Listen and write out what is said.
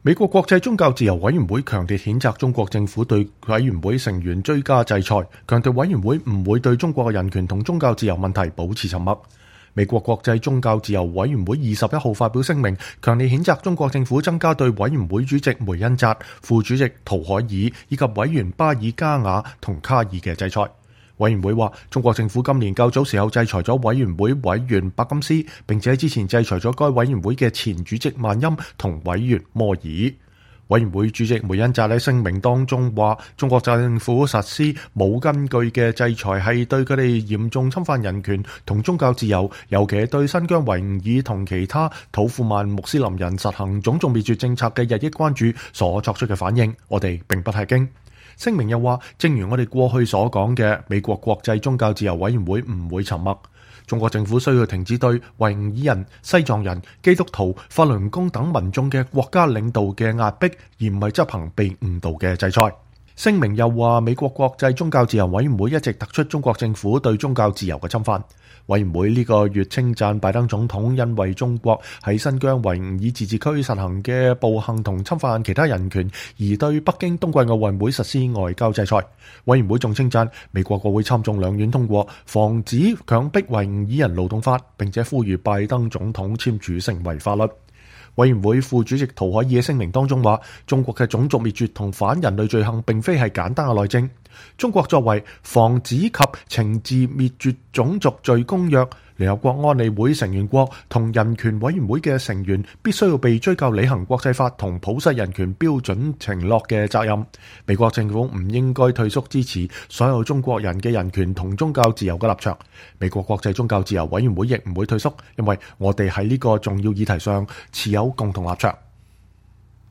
美國國際宗教自由委員會強烈譴責中國政府對委員會成員追加制裁，強調委員會唔會對中國嘅人權同宗教自由問題保持沉默。美國國際宗教自由委員會21號發表聲明，強烈譴責中國政府增加對委員會主席梅恩扎、副主席圖海爾以及委員巴爾加雅同卡爾嘅制裁。委員會話，中國政府今年較早時候制裁咗委員會委員伯金斯，並且之前制裁咗該委員會嘅前主席萬欽同委員摩爾。委員會主席梅恩扎喺聲明當中話，中國政府實施冇根據嘅制裁係對佢哋嚴重侵犯人權同宗教自由，尤其係對新疆維吾爾同其他土庫曼穆斯林人實行種族滅絕政策嘅日益關注所作出嘅反應，我哋並不吃驚。聲明又話，正如我哋過去所講嘅，美國國際宗教自由委員會唔會沉默。中國政府需要停止對維吾爾人、西藏人、基督徒、法輪功等民眾嘅國家領導嘅壓迫，而唔係執行被誤導嘅制裁。聲明又話，美國國際宗教自由委員會一直突出中國政府對宗教自由嘅侵犯。委員會呢個月稱讚拜登總統因為中國喺新疆維吾爾自治區實行嘅暴行同侵犯其他人權，而對北京冬季奧運會實施外交制裁。委員會仲稱讚美國國會參眾兩院通過防止強迫維吾爾人勞動法，並且呼籲拜登總統簽署成為法律。委員會副主席圖海爾嘅聲明當中話，中國嘅種族滅絕同反人類罪行並非係簡單嘅內政。中國作為防止及懲治滅絕種族罪公約聯合國安理會成員國同人權委員會嘅成員，必須要被追究履行國際法同普世人權標準承諾嘅責任。美國政府唔應該退縮支持所有中國人嘅人權同宗教自由嘅立場。美國國際宗教自由委員會亦唔會退縮，因為我哋喺呢個重要議題上持有共同立場。